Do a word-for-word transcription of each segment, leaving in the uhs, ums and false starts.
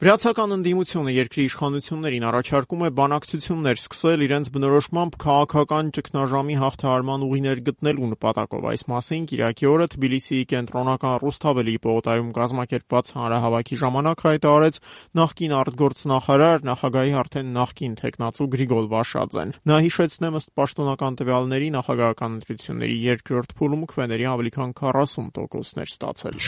Վրացական ընդդիմությունը երկրի իշխանություններին առաջարկում է բանակցություններ սկսել իրենց բնորոշմամբ քաղաքական ճգնաժամի հաղթահարման ուղիներ գտնելու նպատակով։ Այս մասին կիրակի օրը Թբիլիսիի կենտրոնական Ռուսթավելի պողոտայում կազմակերպված հանրահավաքի ժամանակ հայտարարեց նախկին արտգործնախարար, նախագահի արդեն նախկին թեկնածու Գրիգոր Վաշաձեն։ Նա հիշեցնեմ, ըստ պաշտոնական տվյալների, նախագահական ընտրությունների երկրորդ փուլում քվեների ավելի քան քառասուն տոկոսներ ստացել։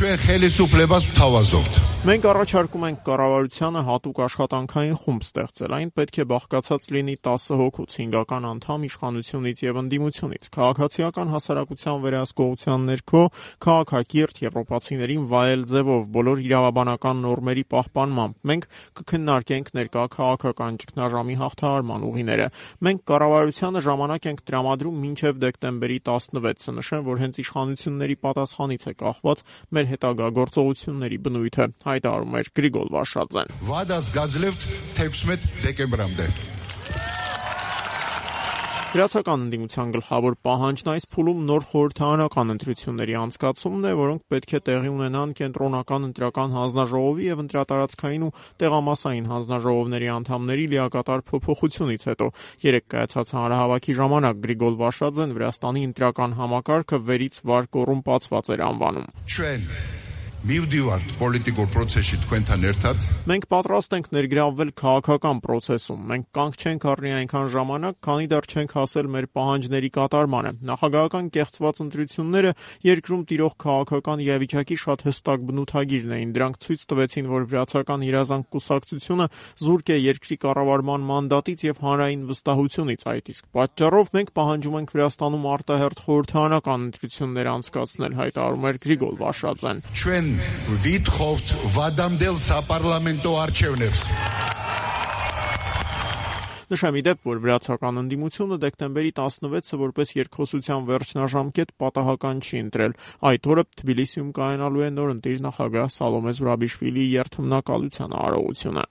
Մենք առաջարկում ենք կառավարությանը հատուկ աշխատանքային խումբ ստեղծել։ Այն պետք է բաղկացած լինի տասը հոգուց, հինգական անդամ իշխանությունից եւ ընդդիմությունից։ Քաղաքացիական հասարակության վերահսկողության ներքո քաղաքակիրթ եվրոպացիներին վայել ձևով բոլոր իրավաբանական նորմերի պահպանմամբ մենք կքննարկենք ներկա քաղաքական ճգնաժամի հաղթահարման ուղիները։ Մենք կառավարությանը ժամանակ ենք տրամադրում մինչև դեկտեմբերի տասնվեցը։ Նշեմ, որ հենց իշխանությունների պատասխանից է կախված մեր հետագա գործողությունների բնույթը, հայտարարում էր Գրիգոր Վաշաձեն։ Վրացական ընդդիմության գլխավոր պահանջն այս փուլում նոր խորհրդարանական ընտրությունների անցկացումն է, որոնք պետք է տեղի ունենան կենտրոնական ընտրական հանձնաժողովի եւ ընտրատարածքային ու տեղամասային հանձնաժողովների անդամների լիակատար փոփոխությունից հետո։ Երեկ կայացած հանրահավաքի ժամանակ Գրիգոր Վաշաձեն Վրաստանի ընտրական համակարգը վերից վար կոռումպացված էր անվանում։ Մենք պատրաստ ենք ներգրավվել քաղաքական պրոցեսում։ Մենք կանգ չենք առնի այնքան ժամանակ, քանի դեռ չենք հասել մեր պահանջների կատարմանը։ Նախագահական կեղծված ընտրությունները երկրում տիրող քաղաքական իրավիճակի շատ հստակ բնութագիրն էին։ Դրանք ցույց տվեցին, որ վրացական երազանք կուսակցությունը զուրկ է երկրի կառավարման մանդատից եւ հանրային վստահությունից։ Այդ իսկ պատճառով մենք պահանջում ենք Վրաստանում արտահերթ խորհրդարանական ընտրություններ անցկացնել, հայտարարում էր Գրիգոր Վաշաձեն։ Նշեմ ի դեպ, որ վրացական ընդդիմությունը դեկտեմբերի տասնվեցը որպես երկխոսության վերջնաժամկետ պատահական չի ընտրել։ Այդ օրը Թբիլիսիում կայանալու է նոր ընտիր նախագահ Սալոմե Զուրաբիշվիլիի երթմնակալության արարողությունը։